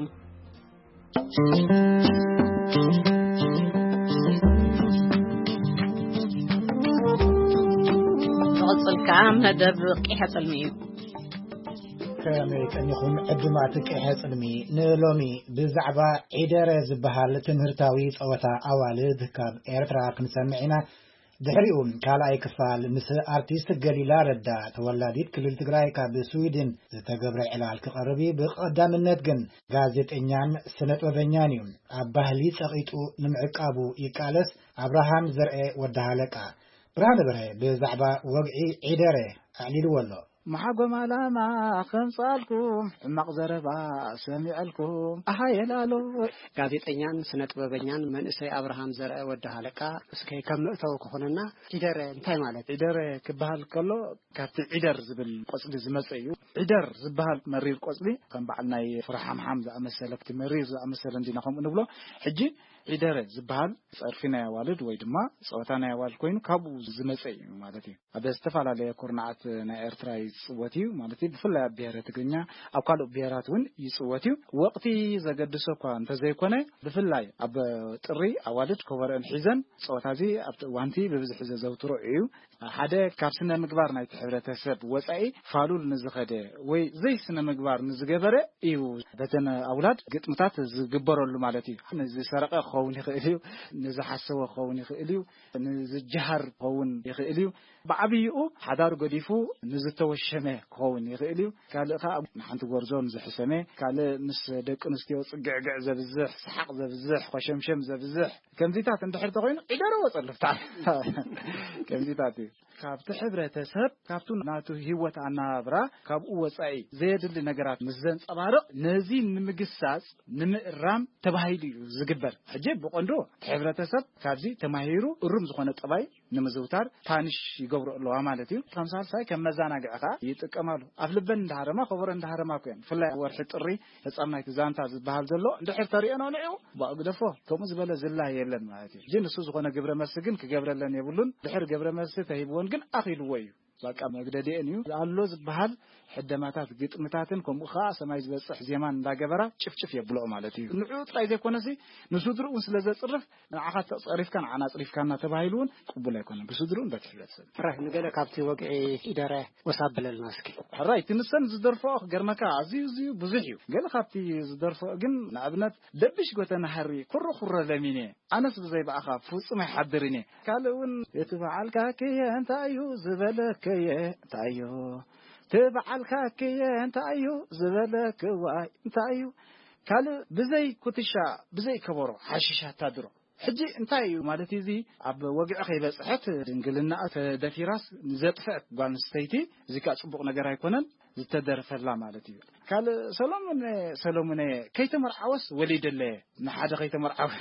ዝቕፅል ከዓ መደብ ቂሐ ፅልሚ እዩ። ከመይ ቀኒኹም ዕዱማት ቂሐ ጽልሚ? ንሎሚ ብዛዕባ ዒደረ ዝበሃል ትምህርታዊ ጸወታ ኣዋልድ ካብ ኤርትራ ክንሰምዕ ኢና። ድሕሪኡ ካልኣይ ክፋል ምስ ኣርቲስት ገሊላ ረዳ፣ ተወላዲት ክልል ትግራይ፣ ካብ ስዊድን ዝተገብረ ዕላል ክቐርብ እዩ። ብቐዳምነት ግን ጋዜጠኛን ስነጥበበኛን እዩ። ኣብ ባህሊ ጸቒጡ ንምዕቃቡ ይቃለስ። ኣብርሃም ዘርኤ ወዲ ሃለቃ። ብርሃነ በርሀ ብዛዕባ ወግዒ ዒደረ ኣዕሊልዎ ኣሎ። መሓጎም ዓላማ ከምጻልኩም ሕማቕ ዘረባ ሰሚዐልኩም ኣሃየላሎ። ጋዜጠኛን ስነ ጥበበኛን መንእሰይ ኣብርሃም ዘርአ ወዲ ሃለቃ፣ እስከ ከም መእተዊ ክኾነና፣ ዒደረ እንታይ ማለት? ዒደረ ክበሃል ከሎ ካብቲ ዒደር ዝብል ቆጽሊ ዝመጸ እዩ። ዒደር ዝበሃል መሪር ቆጽሊ ከም በዓል ናይ ፍረ ሓምሓም ዝኣመሰለ፣ እቲ መሪር ዝኣመሰለ እንዲና ከምኡ ንብሎ። ሕጂ ዒደረ ዝበሃል ጸርፊ ናይ ኣዋልድ ወይ ድማ ጸወታ ናይ ኣዋልድ ኮይኑ ካብኡ ዝመጸ እዩ ማለት እዩ። ኣብ ዝተፈላለየ ኩርናዓት ናይ ኤርትራ ይጽወት እዩ ማለት እዩ። ብፍላይ ኣብ ብሔረ ትግርኛ፣ ኣብ ካልእ ብሔራት እውን ይጽወት እዩ። ወቕቲ ዘገድሶ እኳ እንተዘይኮነ፣ ብፍላይ ኣብ ጥሪ ኣዋልድ ኮበረአን ሒዘን ጸወታ እዚ ኣብቲ እዋንቲ ብብዝሒ ዘዘውትሮ እዩ። ሓደ ካብ ስነ ምግባር ናይቲ ሕብረተሰብ ወጻኢ ፋሉል ንዝኸደ ወይ ዘይ ስነ ምግባር ንዝገበረ እዩ በተን ኣውላድ ግጥምታት ዝግበረሉ ማለት እዩ። ንዝሰረቐ ክኸውን ይኽእል እዩ፣ ንዝሓሰወ ክኸውን ይኽእል እዩ፣ ንዝጀሃር ክኸውን ይኽእል እዩ። ብዓብይኡ ሓዳር ገዲፉ ንዝተወሸመ ክኸውን ይኽእል እዩ። ካልእ ኸዓ ንሓንቲ ጎርዞ ንዝሕሰመ፣ ካልእ ምስ ደቂ ኣንስትዮ ጽግዕግዕ ዘብዝሕ፣ ሰሓቕ ዘብዝሕ፣ ኮሸምሸም ዘብዝሕ፣ ከምዚታት እንድሕር ተኾይኑ ዒደረ ወጸሉ ፍታሕ። ከምዚታት እዩ። ካብቲ ሕብረተሰብ፣ ካብቱ ናቱ ህይወት ኣነባብራ፣ ካብኡ ወጻኢ ዘየድሊ ነገራት ምስ ዘንጸባርቕ፣ ነዚ ንምግሳጽ፣ ንምእራም ተባሂሉ እዩ ዝግበር። ሕጂ ብቐንዱ እቲ ሕብረተሰብ ካብዚ ተማሂሩ እሩም ዝኾነ ጠባይ ንምዝውታር ፓኒሽ ይገብሩ ኣለዋ ማለት እዩ። ከም ሳልሳይ ከም መዘናግዒ ኸዓ ይጥቀማሉ። ኣፍ ልበን እንዳሃረማ፣ ከበሮ እንዳሃረማ እኮ እየን። ብፍላይ ኣብ ወርሒ ጥሪ ፈጻም ናይቲ ዛንታ ዝበሃል ዘሎ እንድሕር ተሪኦን ኣልዒኡ፣ ባእ ግደፎ፣ ከምኡ ዝበለ ዝላ የለን ማለት እዩ። ግን እሱ ዝኾነ ግብረ መልሲ ግን ክገብረለን የብሉን። ድሕር ግብረ መልሲ ተሂብወን ግን ኣኺልዎ እዩ። በቃ መግደዲአን እዩ። ኣሎ ዝበሃል ሕደማታት፣ ግጥምታትን ከምኡ ኸዓ ሰማይ ዝበጽሕ ዜማን እንዳገበራ ጭፍጭፍ የብልኦ ማለት እዩ። ንዕኡ ጥራይ ዘይኮነሲ ንስድርኡ እውን ስለ ዘጽርፍ፣ ንዓኻ ተጸሪፍካ ንዓና ኣጽሪፍካና ተባሂሉ እውን ቅቡል ኣይኮነን ብስድርኡን በቲ ሕብረተሰብ። ሕራይ፣ ንገለ ካብቲ ወግዒ ዒደረ ወሳብ ብለልና እስኪ። ሕራይ፣ እቲ ንሰን ዝደርፍኦ ክገርመካ ኣዝዩ፣ ኣዝዩ ብዙሕ እዩ። ገለ ካብቲ ዝደርፍኦ ግን ንኣብነት ደብሽ ጎተና ሃሪ ኩሩ ኩረ ለሚኔ፣ ኣነስ ብዘይ ብኣኻ ፍጹም ኣይሓድርን እየ። ካልእ እውን እቲ በዓልካ ክየ እንታይ እዩ ዝበለከየ እንታይ እዩ፣ እቲ በዓልካ ክየ እንታይ እዩ ዝበለክዋይ እንታይ እዩ፣ ካልእ ብዘይ ኩትሻ ብዘይ ከበሮ ሓሽሽ ኣታድሮ። ሕጂ እንታይ እዩ ማለት እዩ እዚ? ኣብ ወግዒ ከይበጽሐት ድንግልና ተደፊራስ ንዘጥፍአት ጓል ኣንስተይቲ፣ እዚ ከኣ ጽቡቕ ነገር ኣይኮነን፣ ዝተደርፈላ ማለት እዩ። ካልእ ሰሎሙን፣ ሰሎሙን ከይተመርዓወስ ወሊደለየ፣ ንሓደ ከይተመርዓወ።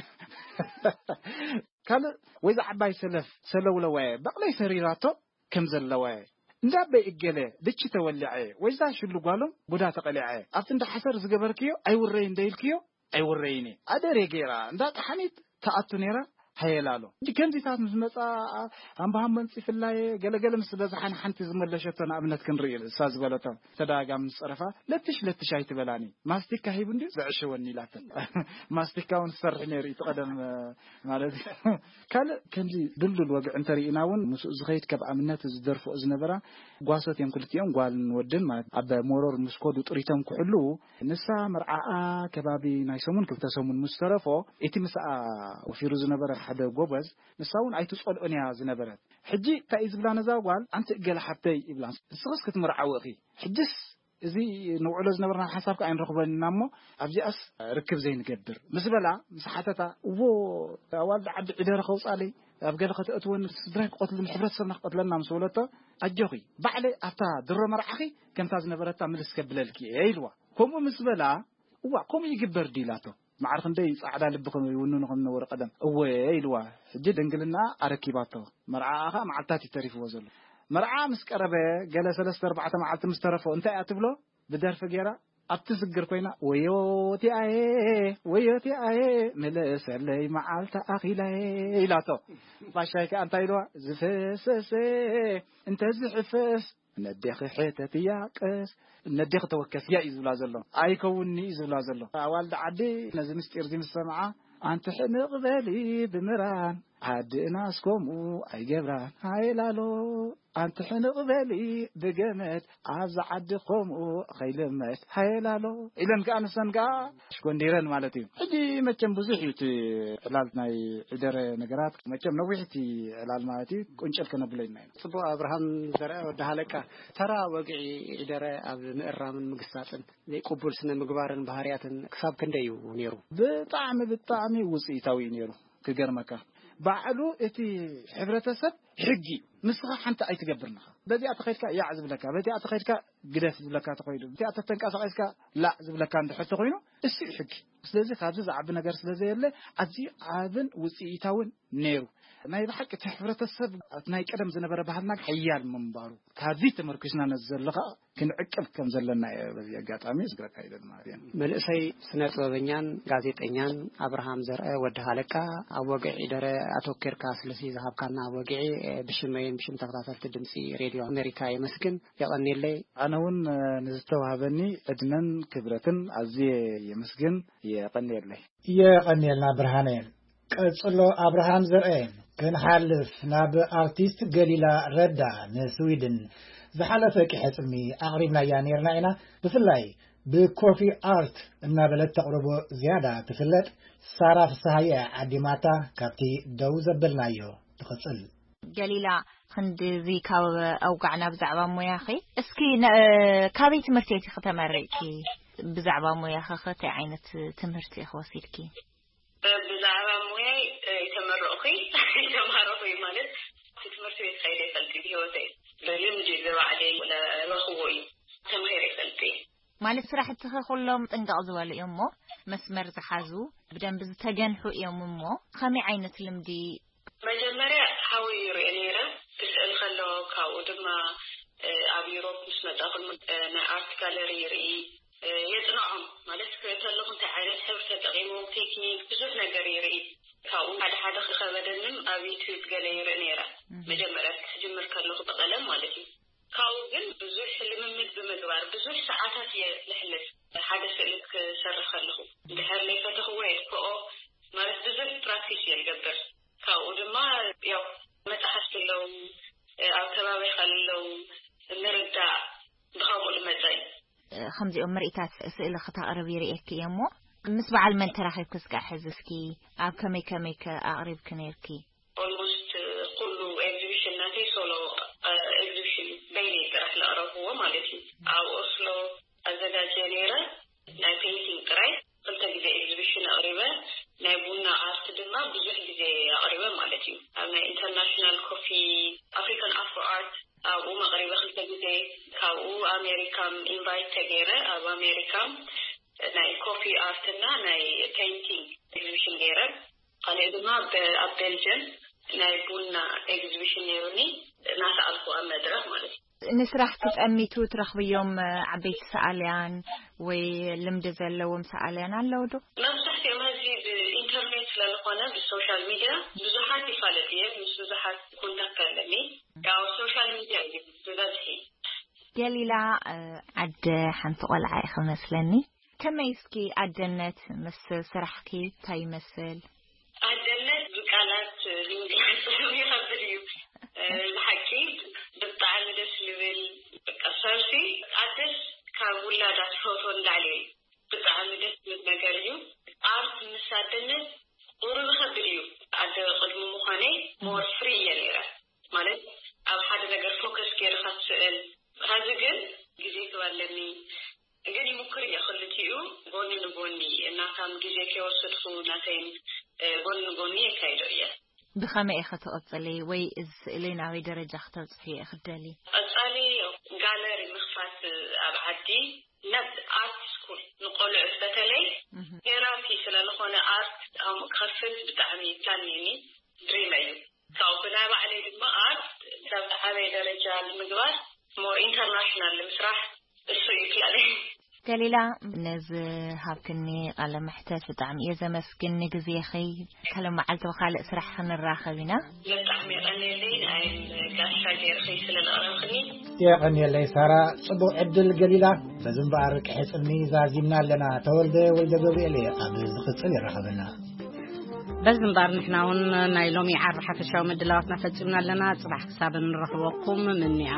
ካልእ ወይዛ ዓባይ ሰለፍ ሰለውለዋየ፣ በቕለይ ሰሪራቶ ከም ዘለዋየ፣ እንዳበይ እገለ ድቺ ተወሊዐ፣ ወይዛ ሽሉ ጓሎም ቡዳ ተቐሊዐ፣ ኣብቲ እንዳ ሓሰር ዝገበርክዮ ኣይውረይ እንደ ኢልክዮ ኣይውረይን እየ። ኣደሬ ገይራ እንዳ ጠሓኒት ትኣቱ ነይራ ሃየላሎ። ሕጂ ከምዚታት ምስ መጻ፣ ሃምባሃም መንጺፍላየ፣ ገለገለ ምስ በዝሓን ሓንቲ ዝመለሸቶ ንኣብነት ክንርኢ፣ እሳ ዝበለቶ ተደጋጋሚ ምስ ጸረፋ፣ "ለትሽ ለትሽ ኣይትበላኒ፣ ማስቲካ ሂቡ እንድዩ ዘዕሸወኒ" ኢላቶ። ማስቲካ እውን ዝሰርሕ ነይሩ እዩ፣ እቲ ቀደም ማለት እዩ። ካልእ ከምዚ ድልዱል ወግዒ እንተርኢና እውን ምስኡ ዝኸይድ፣ ከም ኣብነት ዝደርፍኦ ዝነበራ ጓሶት እዮም ክልቲኦም፣ ጓልን ወድን ማለት። ኣብ መሮር ምስ ከዱ ጥሪቶም ክሕልዉ፣ ንሳ መርዓኣ ከባቢ ናይ ሰሙን ክልተ ሰሙን ምስ ተረፎ፣ እቲ ምስኣ ወፊሩ ዝነበረ ሓደ ጎበዝ፣ ንሳ እውን ኣይትጸልኦን እያ ዝነበረት። ሕጂ እንታይ እዩ ዝብላ ነዛ ጓል? "ኣንቲ እገለ ሓብተይ" ይብላ፣ "ንስኽስ ክትምርዓዊ ኢኺ፣ ሕጅስ እዚ ንውዕሎ ዝነበርና ሓሳብ ከኣ ኣይንረኽቦን ኢና እሞ ኣብዚኣስ ርክብ ዘይንገብር" ምስ በላ፣ ምስ ሓተታ፣ "እዎ፣ ኣዋልድ ዓዲ ዒደረ ከውጻለይ፣ ኣብ ገለ ከተእትወኒ፣ ስድራይ ክቐትሉኒ፣ ሕብረተሰብና ክቐትለና" ምስ በለቶ፣ "ኣጆኺ፣ ባዕለይ ኣብታ ድሮ መርዓኺ ከምታ ዝነበረታ ምልስ ከብለልኪ እየ" ኢልዋ። ከምኡ ምስ በላ፣ "እዋእ፣ ከምኡ ይግበር ድዩ?" ኢላቶ። ማዕረ ክንደይ ጻዕዳ ልቢ ከም ይውንኑ ከም ዝነበሩ ቀደም። "እወ" ኢልዋ። ሕጂ ድንግልና ኣረኪባቶ። መርዓኣ ኸኣ መዓልታት እዩ ተሪፍዎ ዘሎ። መርዓ ምስ ቀረበ፣ ገለ ሰለስተ ኣርባዕተ መዓልቲ ምስ ተረፎ፣ እንታይ እያ ትብሎ? ብደርፊ ገይራ፣ ኣብቲ ስግር ኮይና፣ "ወዮ እቲኣየ፣ ወዮ እቲኣየ፣ ምለሰለይ መዓልቲ ኣኺላየ" ኢላቶ። ባሻይ ከኣ እንታይ ኢልዋ? "ዝፈሰሰ እንተዝሕፈስ፣ ነዴኺ ሕተትያ ቀስ፣ ነዴኺ ተወከስያ እዩ ዝብላ ዘሎ። ኣይከውንኒ እዩ ዝብላ ዘሎ። ኣዋልድ ዓዲ ነዚ ምስጢር እዚ ምስ ሰምዓ፣ ኣንቲ ሕንቕ በሊ ብምራን፣ ዓድና እስከምኡ ኣይገብራን። ሃይላሎ፣ ኣንቲ ሕንቕ በሊ ብገመድ፣ ኣብዚ ዓዲ ከምኡ ከይልመድ። ሃይላሎ ኢለን ከኣ ንሰን ከኣ ሽኮንዲረን ማለት እዩ። ሕጂ መቸም ብዙሕ እዩ እቲ ዕላል ናይ ዕደረ ነገራት። መቸም ነዊሕ እቲ ዕላል ማለት እዩ። ቁንጭል ከነብሎ ኢና ኢና። ጽቡቕ። ኣብርሃም ዘርአ ወዲ ሃለቃ፣ ተራ ወግዒ ዕደረ ኣብ ምእራምን ምግሳጽን ዘይቅቡል ስነ ምግባርን ባህርያትን ክሳብ ክንደይ እዩ ነይሩ? ብጣዕሚ፣ ብጣዕሚ ውጽኢታዊ እዩ ነይሩ። ክገርመካ፣ ባዕሉ እቲ ሕብረተሰብ ሕጊ፣ ንስኻ ሓንቲ ኣይትገብርን ኢኻ። በዚኣ ተኸይድካ ያዕ ዝብለካ፣ በዚኣ ተኸይድካ ግደፍ ዝብለካ ተኾይኑ፣ በዚኣ ተተንቀሳቒስካ ላዕ ዝብለካ እንድሕር ተኾይኑ፣ እሱ እዩ ሕጊ። ስለዚ ካብዚ ዝዓቢ ነገር ስለ ዘየለ፣ ኣዝዩ ዓብን ውጽኢታውን ነይሩ። ናይ ብሓቂ እቲ ሕብረተሰብ ናይ ቀደም ዝነበረ ባህልና ሓያል ምንባሩ ካብዚ ተመርኪስና ነዚ ዘሎ ኸዓ ክንዕቅብ ከም ዘለና እየ በዚ ኣጋጣሚ ዝግረካ ኢለ ማለት እየ። መንእሰይ ስነ ጥበበኛን ጋዜጠኛን ኣብርሃም ዘርአ ወዲ ሃለቃ፣ ኣብ ወግዒ ደረ ኣተኪርካ ስለዚ ዝሃብካና ወግዒ፣ ብሽመይን ብሽም ተኸታተልቲ ድምፂ ሬድዮ ኣሜሪካ የመስግን። የቐንየለይ። ኣነ እውን ንዝተዋህበኒ ዕድመን ክብረትን ኣዝየ የመስግን። የቐንየለይ። የቐንየልና ብርሃነ። ቀጽሎ ኣብርሃም ዘርአ። ክንሓልፍ ናብ ኣርቲስት ገሊላ ረዳ ንስዊድን ዝሓለፈ ቂሐ ጽልሚ ኣቕሪብናያ ነይርና ኢና። ብፍላይ ብኮፊ ኣርት እናበለት ተቕርቦ ዝያዳ ትፍለጥ ሳራ ፍስሃየ ዓዲማታ ካብቲ ደው ዘበልናዮ ትቕጽል። ገሊላ፣ ክንድዚ ካብ ኣውጋዕና ብዛዕባ ሞያኺ፣ እስኪ ነ-፣ ካበይ ትምህርቲ ኢኺ ተመሪቕኪ? ብዛዕባ ሞያኺ ኸ እንታይ ዓይነት ትምህርቲ ኢኺ ወሲድኪ? ብዛዕባ ሞያይ፣ እ፣ ኣይተመረቕኩይ፣ ኣይተማረኹይ ማለት፣ እቲ ትምህርቲ ቤት ከይደ ይፈልጥ ብህይወተይ። ብልምዲ ብባዕለይ ዝረኽቦ እዩ። ተማሂረ ይፈልጥ እየ። ማለት ስራሕትኺ ኩሎም ጥንቅቕ ዝበሉ እዮም እሞ፣ መስመር ዝሓዙ፣ ብደንቢ ዝተገንሑ እዮም እሞ፣ ከመይ ዓይነት ልምዲ? መጀመርያ ሓወይ ይርኢ ነይረ፣ ክስእል ከሎ፣ ካብኡ ድማ፣ እ፣ ኣብ ዩሮፕ ምስ መጻኹ፣ እ፣ ናይ ኣርት ጋለሪ ይርኢ፣ እ፣ የጽንዖም። ማለት፣ ክርኢ ከለኹ እንታይ ዓይነት ሕብሪ ተጠቒሞም፣ ቴክኒክ፣ ብዙሕ ነገር ይርኢ። ካብኡ ሓደ ሓደ ክኸበደንን ኣብ ዩትዩብ ገለ ይርኢ ነይረ። እህ። መጀመርያ ክጅምር ከለኹ ብቐለም ማለት እዩ። ካብኡ ግን ብዙሕ ልምምድ ብምግባር ብዙሕ ሰዓታት እየ ዘሕልፍ። ሓደ ስእሊ ክሰርሕ ከለኹ፣ እንድሕር ዘይፈተኽዎ የጥፍኦ፣ ማለት ብዙሕ ፕራክቲስ እየ ዝገብር። ካብኡ ድማ ያው መጽሓፍቲ ኣለዉ፣ ኣብ ከባቢኻ ኣለዉ፣ ምርዳእ ብኸምኡ ዝመጸ እዩ። ከምዚኦም ምርኢታት ስእሊ ክተቕርቢ ይርእየኪ እየ እሞ፣ ምስ በዓል መን ተራኺብኪ እስከ ሕዚ እስኪ ኣብ ከመይ ከመይ ከ ኣቕሪብኪ ነይርኪ? ኦልሞስት ኩሉ ኤግዚቢሽን ናተይ ሶሎ፣ እ፣ ኤግዚቢሽን በይነይ ጥራሕ ለቕረብዎ ማለት እዩ። ኣብ ኦስሎ ኣዘጋጀ ነይረ፣ ናይ ፔይንቲንግ ጥራይ ክልተ ግዜ ኤግዚቢሽን ኣቕሪበ፣ ናይ ቡና ኣርት ድማ ብዙሕ ግዜ ኣቕሪበ ማለት እዩ። ኣብ ናይ ኢንተርናሽናል ኮፊ ኣፍሪካን ኣፍሮ ኣርት ኣብኡ መቕሪበ ክልተ ግዜ፣ ካብኡ ኣሜሪካ ኢንቫይት ተገይረ፣ ኣብ ኣሜሪካ ናይ ኮፊ ኣርት እና ናይ ፔይንቲንግ ኤግዚቢሽን ገይረ። ካልእ ድማ በ-፣ ኣብ ቤልጅየም ናይ ቡና ኤግዚቢሽን ነይሩኒ፣ እናሰኣልኩ ኣብ መድረኽ ማለት እዩ። ንስራሕ ትጠሚቱ ትረኽብዮም ዓበይቲ ሰኣልያን ወይ ልምዲ ዘለዎም ሰኣልያን ኣለዉ ዶ? መብዛሕትኦም ሕዚ ብኢንተርኔት ስለ ዝኾነ፣ ብሶሻል ሚድያ ብዙሓት ይፋለጥ እየ፣ ምስ ብዙሓት ኮንታክት ኣለኒ። ያው ሶሻል ሚድያ እዩ ብበዝሒ። ገሊላ፣ እ፣ ዓደ ሓንቲ ቆልዓ ኢኺ መስለኒ። ከመይ እስኪ ኣደነት ምስ ስራሕኪ እንታይ ይመስል? ኣደነት ብቃላት ንምግላጽ ይኸብድ እዩ። እ፣ ብሓቂ ብጣዕሚ ደስ ዝብል፣ በቃ፣ ሰብሲ ኣደስ ካብ ውላዳ ትፈትዎ ንላዕሊ እዩ። ብጣዕሚ ደስ ዝብል ነገር እዩ። ኣርት ምስ ኣደነት ቁሩብ ይኸብድ እዩ። ኣደ ቅድሚ ምዃነይ ሞር ፍሪ እየ ነይረ። ማለት ኣብ ሓደ ነገር ፎከስ ገይርካ ትስእል። ሐዚ ግን ግዜ ክህብ ኣለኒ። ግን ይምኩር እየ ክልቲኡ ጎኒ ንጎኒ፣ እናታም ግዜ ከይወሰድኩ ናተይን፣ እ፣ ጎኒ ንጎኒ የካይዶ እየ። ብኸመይ ኢኺ ትቕጽሊ ወይ እዚ ስእሊ ናበይ ደረጃ ክተብጽሕዮ ኢኺ ትደሊ? ቀጻሊ ጋለሪ ምኽፋት ኣብ ዓዲ፣ ናብ ኣርት ስኩል ንቆልዑት በተለይ እህ። ቴራፒ ስለ ዝኾነ ኣርት ኣብኡ ክኸፍት ብጣዕሚ ፕላን እኒኒ፣ ድሪም እዩ። ካብኡ ብናይ ባዕለይ ድማ ኣርት ናብ ዝዓበየ ደረጃ ንምግባር፣ ሞር ኢንተርናሽናል ንምስራሕ፣ እሱ እዩ ፕላነይ። ገሊላ፣ ነዚ ሃብክኒ ቃለ መሕተት ብጣዕሚ እየ ዘመስግን። ንግዜኺ፣ ካልእ መዓልቲ ብኻልእ ስራሕ ክንራኸብ ኢና። ብጣዕሚ የቐንየለይ፣ ንዓይን ጋሻ ገይርኺ ስለ ዘቕረብክኒ። የቐንየለይ ሳራ፣ ጽቡቕ ዕድል ገሊላ። በዚ እምበኣር ቅሕጽኒ ዛዚምና ኣለና። ተወልደ ወልደ ገብርኤል እየ፣ ኣብ ዝቕጽል ይራኸበና። በዚ እምበኣር ንሕና እውን ናይ ሎሚ ዓርቢ ሓፈሻዊ ምድላዋትና ፈጺምና ኣለና። ጽባሕ ክሳብ እንረኽበኩም ምንያት